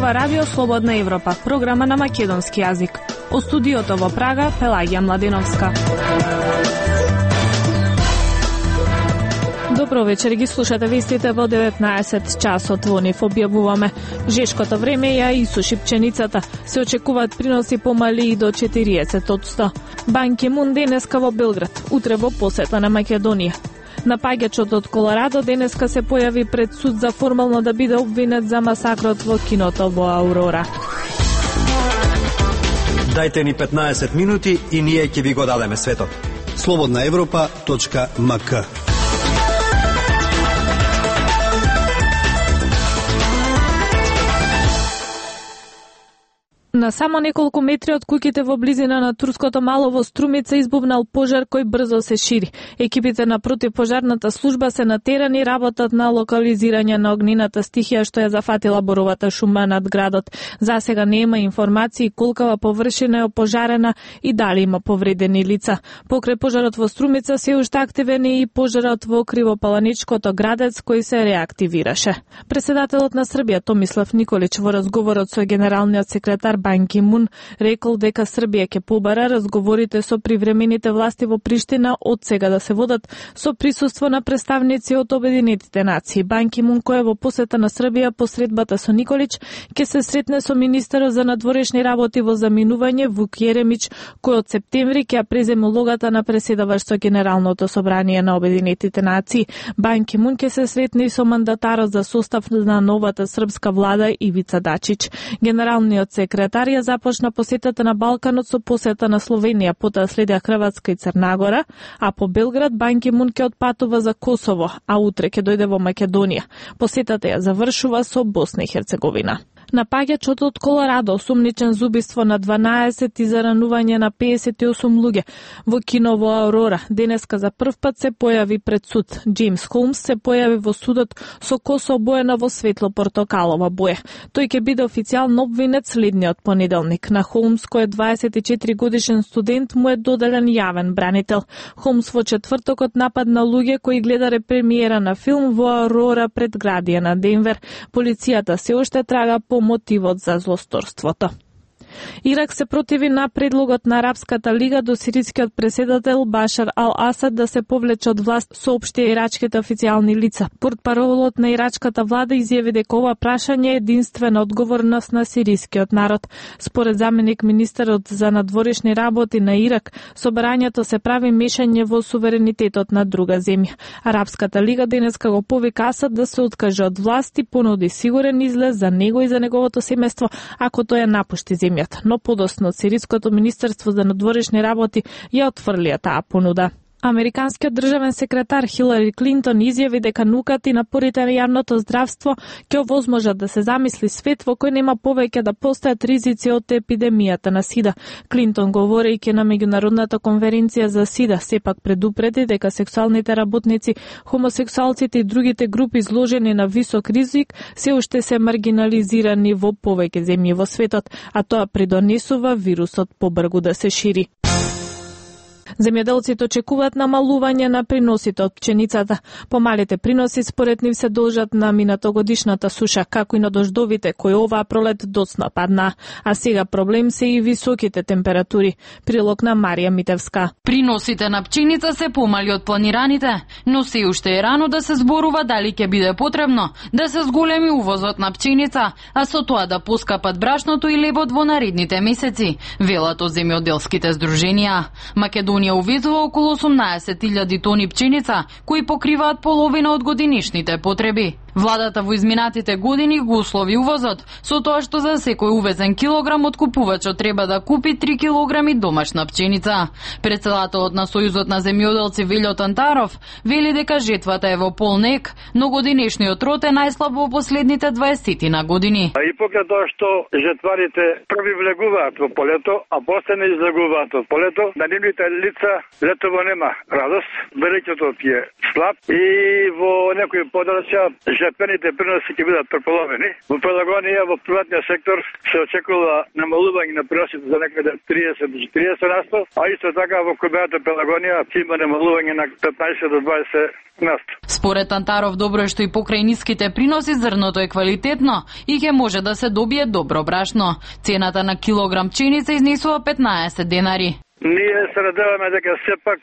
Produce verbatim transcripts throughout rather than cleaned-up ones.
зборува Радио Слободна Европа, програма на македонски јазик. Од студиото во Прага, Пелагија Младеновска. Добро вечер, ги слушате вестите во деветнаесет часот во нив објавуваме. Жешкото време ја исуши пченицата. Се очекуваат приноси помали и до четириесет одсто. Бан Ки Мун денеска во Белград, утре во посета на Македонија. Напаѓачот од Колорадо денеска се појави пред суд за формално да биде обвинет за масакрот во киното во Аурора. Дајте ни петнаесет минути и ние ќе ви го дадеме светот. слободна европа точка ем ка. На само неколку метри од куќите во близина на турското мало во Струмица избувнал пожар кој брзо се шири. Екипите на противпожарната служба се натерани, работат на локализирање на огнената стихија што ја зафатила боровата шума над градот. За сега нема информации колкава површина е опожарена и дали има повредени лица. Покрај пожарот во Струмица се уште активен е и пожарот во Кривопаланичкото Градец кој се реактивираше. Председателот на Србија Томислав Николич во разговорот со генералниот секретар Бан Ки Мун рекол дека Србија ќе побара разговорите со привремените власти во Приштина од сега да се водат со присуство на представници од Обединетите нации. Бан Ки Мун кој е во посета на Србија по средбата со Николич ќе се сретне со министерот за надворешни работи во заминување Вук Јеремич кој од септември ќе ја преземе улогата на преседавач со Генералното собрание на Обединетите нации. Бан Ки Мун ќе се сретне и со мандатарот за состав на новата српска влада Ивица Дачич. Генералниот секретар ја започна посетата на Балканот со посета на Словенија, потоа следеа Хрватска и Црна Гора, а по Белград Бан Ки Мун ќе отпатува за Косово, а утре ќе дојде во Македонија. Посетата ја завршува со Босна и Херцеговина. Напаѓачот од Колорадо осумничен за убиство на дванаесет и за ранување на педесет и осум луѓе во кино во Аурора денеска за прв пат се појави пред суд. Джеймс Холмс се појави во судот со коса обоена во светло портокалова боја. Тој ќе биде официјално обвинет следниот понеделник. На Холмс, кој е дваесет и четири годишен студент, му е доделен јавен бранител. Холмс во четвртокот нападна луѓе кои гледаре премиера на филм во Аурора пред градија на Денвер. Полицијата се уште трага по мотивот за злосторството. Ирак се противи на предлогот на Арапската лига до сирискиот преседател Башар ал-Асад да се повлече од власт, соопшти ирачките официјални лица. Портпаролот на ирачката влада изјави дека ова прашање е единствена одговорност на сирискиот народ. Според заменик министерот за надворешни работи на Ирак, собрањето се прави мешање во суверенитетот на друга земја. Арапската лига денеска го повика Асад да се откаже од власт и понуди сигурен излез за него и за неговото семејство ако тој ја напушти земја. Но подосно Сириското министерство за надворешни работи ја отфрлија таа понуда. Американскиот државен секретар Хилари Клинтон изјави дека науката и напорите на јавното здравство ќе овозможат да се замисли свет во кој нема повеќе да постојат ризици од епидемијата на СИДА. Клинтон, говорејќи на меѓународната конференција за СИДА, сепак предупреди дека сексуалните работници, хомосексуалците и другите групи изложени на висок ризик се уште се маргинализирани во повеќе земји во светот, а тоа придонесува вирусот побрзо да се шири. Земјоделците очекуваат намалување на приносите од пченицата. Помалите приноси според нив се должат на минатогодишната суша, како и на дождовите кои оваа пролет доцна падна. А сега проблем се и високите температури. Прилог на Марија Митевска. Приносите на пченица се помали од планираните, но се уште е рано да се зборува дали ќе биде потребно да се зголеми увозот на пченица, а со тоа да поскапат брашното и лебот во наредните месеци, велат од земјоделските здруженија. Македонија увезува околу осумнаесет илјади тони пченица, кои покриваат половина од годинишните потреби. Владата во изминатите години го услови увозот, со тоа што за секој увезен килограм откупувачот треба да купи три килограми домашна пченица. Председателот на Сојузот на земјоделци Велјо Тантаров вели дека жетвата е во полнек, но годинешниот род е најслаб во последните дваесет на години. И покрај тоа што жетварите први влегуваат во полето, а после не излегуваат од полето, на нивните лица летово нема радост, береќето е слаб и во некои подрачја жетвените приноси ќе бидат преполовени. Во Пелагонија во приватниот сектор се очекува намалување на приносите за некаде триесет до четириесет на сто, а исто така во КБ Пелагонија ќе има намалување на петнаесет до дваесет на сто. Според Антаров, добро е што и покрај ниските приноси зрното е квалитетно и ќе може да се добие добро брашно. Цената на килограм пченица изнесува петнаесет денари. Ние се надеваме дека сепак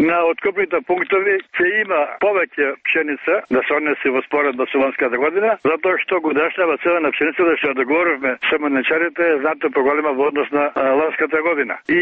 на откупните пунктови ќе има повеќе пшеница да се однесе во споредба со ланската година, затоа што годишната цена на пшеницата што ја договоривме со млечарите е знатно поголема во однос на ланската година. И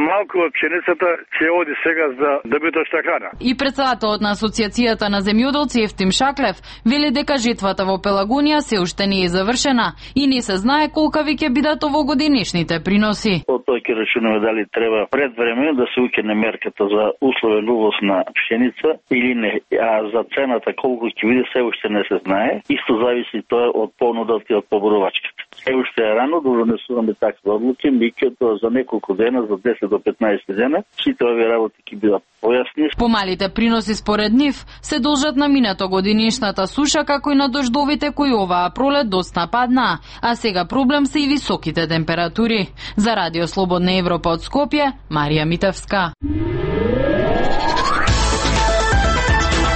малку од пшеницата ќе оди сега за добитошна храна. И председателот на Асоциацијата на земјоделци Ефтим Шаклев вели дека жетвата во Пелагонија се уште не е завршена и не се знае колкави ќе бидат овогодинешните приноси. Тоа ќе речеме дали треба пред време да се укине мерката за условен увоз на пшеница или не, а за цената колку ќе биде се уште не се знае. Исто зависи тоа од понудата и од поборувачката. Се уште е рано да донесуваме такви одлуки, меѓутоа за неколку дена, за десет до петнаесет дена, сите овие работи ќе бидат појасни. Помалите приноси според нив се должат на минато годинишната суша, како и на дождовите кои оваа пролет доцна паднаа, а сега проблем се и високите температури. За Радио Слободна Европа од Скопје, Марија Митевска.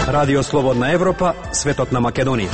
Радио Слободна Европа, светот на Македонија.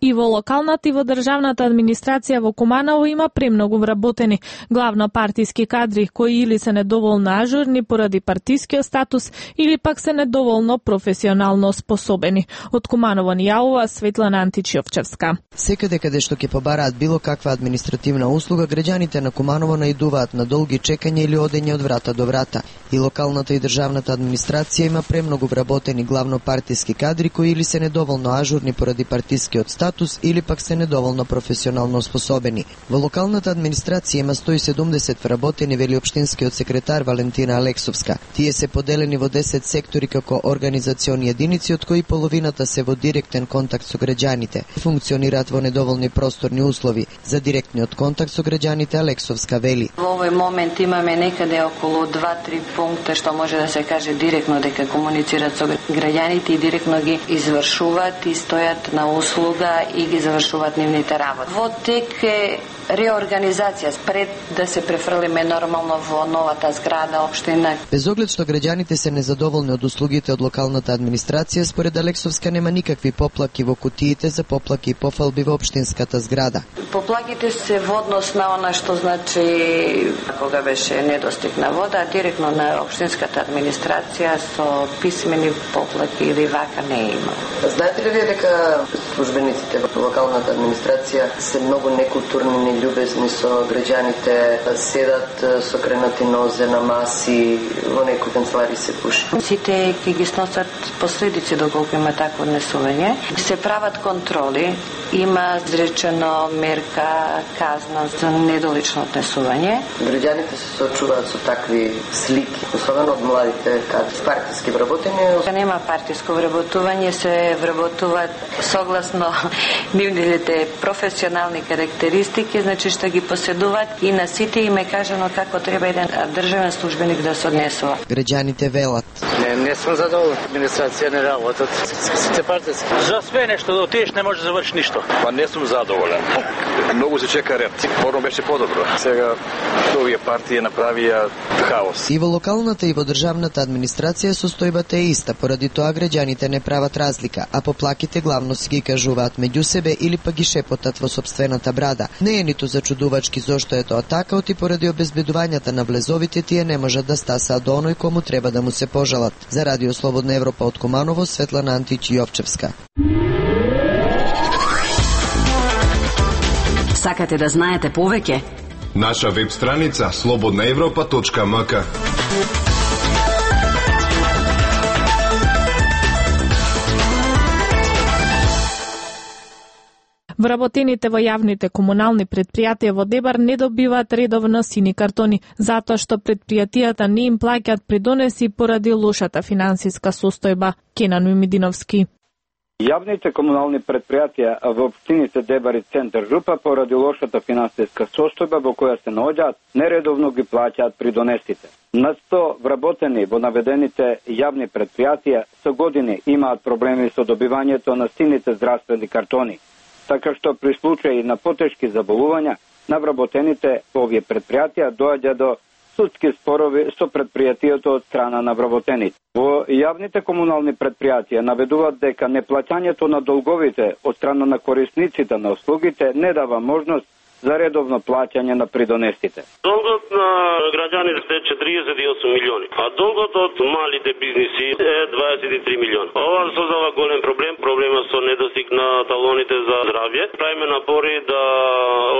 И во локалната и во државната администрација во Куманово има премногу вработени, главно партиски кадри кои или се недоволно ажурни поради партискиот статус или пак се недоволно професионално способени. Од Куманово ни јавува Светлана Античиовчевска. Секаде каде што ќе побараат било каква административна услуга, граѓаните на Куманово наидуваат на долги чекања или одење од врата до врата. И локалната и државната администрација има премногу вработени, главно партиски кадри кои или се недоволно ажурни поради партискиот статус или пак се недоволно професионално способени. Во локалната администрација има сто и седумдесет вработени, вели општинскиот секретар Валентина Алексовска. Тие се поделени во десет сектори како организациони единици, од кои половината се во директен контакт со граѓаните. Функционираат во недоволни просторни услови. За директниот контакт со граѓаните Алексовска вели: Во овој момент имаме некаде околу два-три пункта што може да се каже директно дека комуницираат со граѓаните и директно ги извршуваат и стојат на услуга и ги завршуваат нивните работи. Во тек е реорганизација пред да се префрлиме нормално во новата зграда општина. Без оглед што граѓаните се незадоволни од услугите од локалната администрација, според Алексовска нема никакви поплаки во кутиите за поплаки и пофалби во општинската зграда. Поплаките се во однос на она што значи кога беше недостиг на вода, директно на општинската администрација со писмени поплаки или вака не има. Знаете ли вие дека службениците во локалната администрација се многу некултурни, љубезни со граѓаните, седат со кренати нозе на маси, во некои канцелари се пуши. Сите ќе ги сносат последици доколку има такво однесување. Се прават контроли, има изречено мерка, казна за недолично однесување. Граѓаните се соочуваат со такви слики, особено од младите кадри. Партиски вработени? Нема партиско вработување, се вработуваат согласно нивните професионални карактеристики, значи што ги поседуваат и на сите им е кажано како треба еден државен службеник да се однесува. Граѓаните велат: Не, не сум задоволен. Администрација не работат. Сите партиски. За све нешто да отидеш не може да завршиш ништо. Па не сум задоволен. Многу се чека ред. Порно беше подобро. Сега овие партии направија хаос. И во локалната и во државната администрација состојбата е иста, поради тоа граѓаните не прават разлика, а поплаките главно си ги кажуваат меѓу себе или па ги шепотат во сопствената брада. Не е ниту зачудувачки зошто е тоа така, оти поради обезбедувањата на влезовите тие не можат да стасаат до оној кому треба да му се пожалат. За Радио Слободна Европа од Куманово, Светлана Античиовчевска. Сакате да знаете повеќе? Наша веб страница слободна европа точка м к. Вработените во јавните комунални предпријатија во Дебар не добиваат редовно сини картони, затоа што предпријатијата не им плаќаат придонеси поради лошата финансиска состојба. Кенан Мимидиновски. Јавните комунални предпријатија во општините Дебар и Центар Жупа поради лошата финансиска состојба во која се наоѓаат, нередовно ги плаќаат придонесите. На сто вработени во наведените јавни предпријатија со години имаат проблеми со добивањето на сините здравствени картони, така што при случаи на потешки заболувања на вработените во овие предпријатија доаѓа до судски спорови со предпријатието од страна на вработените. Во јавните комунални предпријатија наведуваат дека неплаќањето на долговите од страна на корисниците на услугите не дава можност за редовно плаќање на придонесите. Долгот на граѓаните е четириесет и осум милиони, а долгот од малите бизниси е дваесет и три милиони. Ова создава голем проблем, проблема со недостиг на талоните за здравје. Правиме напори да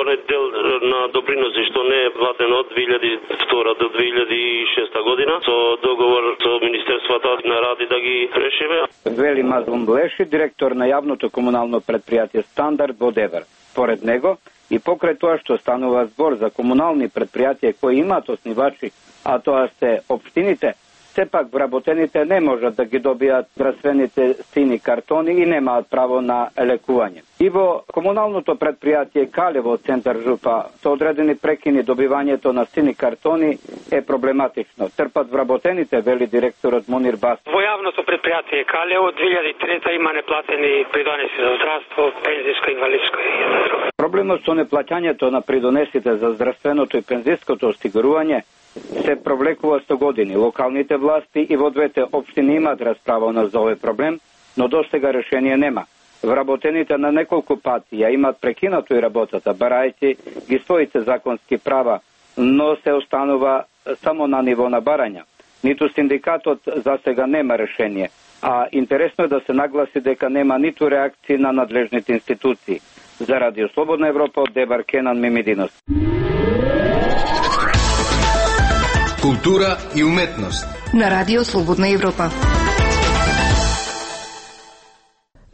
оној дел на доприноси што не е платен од две илјади и втора до две илјади и шеста година со договор со Министерството на рад и да ги решиме. Вели Мазлум Блеши, директор на јавното комунално предпријатие Стандард во Девер. Поред него, и покрај тоа што станува збор за комунални предпријатија кои имаат основачи, а тоа се општините, сепак вработените не можат да ги добијат здравствените сини картони и немаат право на лекување. И во комуналното предпријатие Калево Центар Жупа со одредени прекини добивањето на сини картони е проблематично. Трпат вработените, вели директорот Мунир Бас. Во јавното предпријатие Калево две илјади и трета има неплатени придонеси за здравство, пензиско, инвалидско и друго. Проблемот со неплаќањето на придонесите за здравственото и пензиското осигурување се провлекува сто години. Локалните власти и во двете општини имаат расправа за овој проблем, но достига решение нема. Вработените на неколку пати ја имаат прекинато и работата, барајќи ги своите законски права, но се останува само на ниво на барања. Ниту синдикатот за сега нема решение, а интересно е да се нагласи дека нема ниту реакции на надлежните институции. За Радио Слободна Европа од Дебар Кенан Мимидинос. Култура и уметност на Радио Слободна Европа.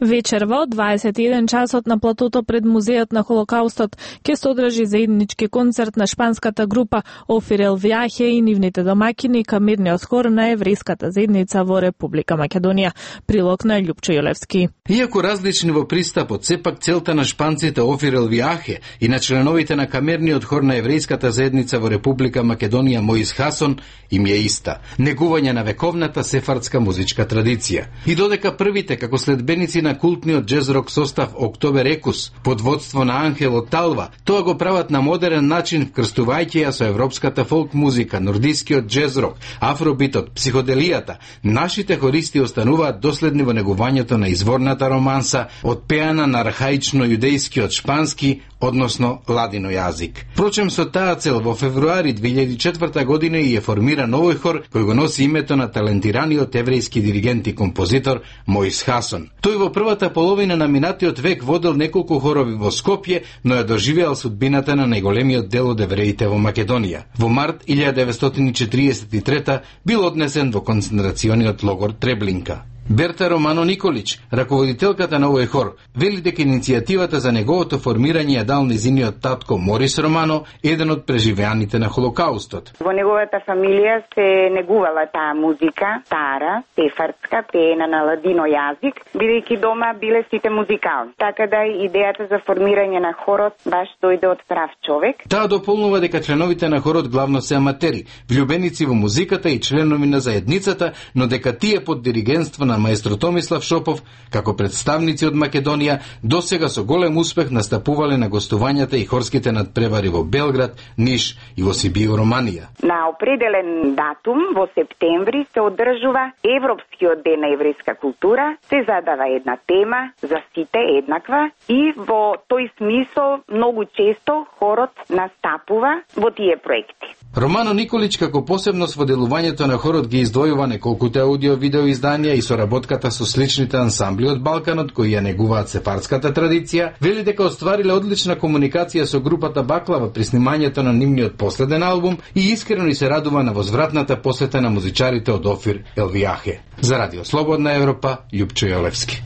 Вечерва од дваесет и еден часот на платото пред Музејот на Холокаустот ќе се одржи заеднички концерт на шпанската група Офир ел Виахе и нивните домакини камерниот хор на еврејската заедница во Република Македонија. Прилог на Љупчо Јолевски. Иако различни во пристапот, сепак целта на шпанците Офир ел Виахе и на членовите на камерниот хор на еврејската заедница во Република Македонија Моис Хасон им е иста: негување на вековната сефардска музичка традиција. И додека првите како следбеници на култниот джез-рок состав Октобер Екус под водство на Анхело Талва, тоа го прават на модерен начин, вкрстувајќи ја со европската фолк музика, нордискиот джез-рок, афробитот, психоделијата. Нашите хористи остануваат доследни во негувањето на изворната романса, одпеана на архаично јудејскиот шпански, односно ладино јазик. Впрочем, со таа цел во февруари две илјади и четврта година и е формиран овој хор кој го носи името на талентираниот еврејски диригент и композитор Моис Хасон. Тој во првата половина на минатиот век водел неколку хорови во Скопје, но ја доживеал судбината на најголемиот дел од евреите во Македонија. Во март илјада деветстотини и четириесет и трета бил однесен во концентрациониот логор Треблинка. Берта Романо Николич, раководителката на овој хор, вели дека иницијативата за неговото формирање ја дал незиниот татко Морис Романо, еден од преживеаните на Холокаустот. Во неговата фамилија се негувала таа музика, стара, сефардска, пеена на ладино јазик, бидејќи дома биле сите музикални. Така да идејата за формирање на хорот баш дојде од прав човек. Таа дополнува дека членовите на хорот главно се аматери, влюбеници во музиката и членови на заедницата, но дека тие под диригентство на маестро Томислав Шопов, како представници од Македонија, досега со голем успех настапувале на гостувањата и хорските надпревари во Белград, Ниш и во Сибио, Романија. На определен датум во септември се одржува Европскиот ден на еврејска култура, се задава една тема за сите еднаква и во тој смисол многу често хорот настапува во тие проекти. Романо Николич како посебност во делувањето на хорот ги издвојува неколкуте аудио-видео изданија и соработката со сличните ансамбли од Балканот кои ја негуваат сефардската традиција, вели дека оствариле одлична комуникација со групата Баклава при снимањето на нивниот последен албум и искрено и се радува на возвратната посета на музичарите од Офир ел Виахе. За Радио Слободна Европа, Љупчо Јолевски.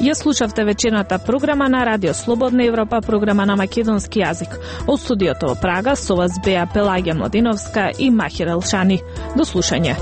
Ја слушавте вечерната програма на Радио Слободна Европа, програма на македонски јазик. Од студиото во Прага со вас беа Пелагија Модиновска и Махир Елшани. До слушање.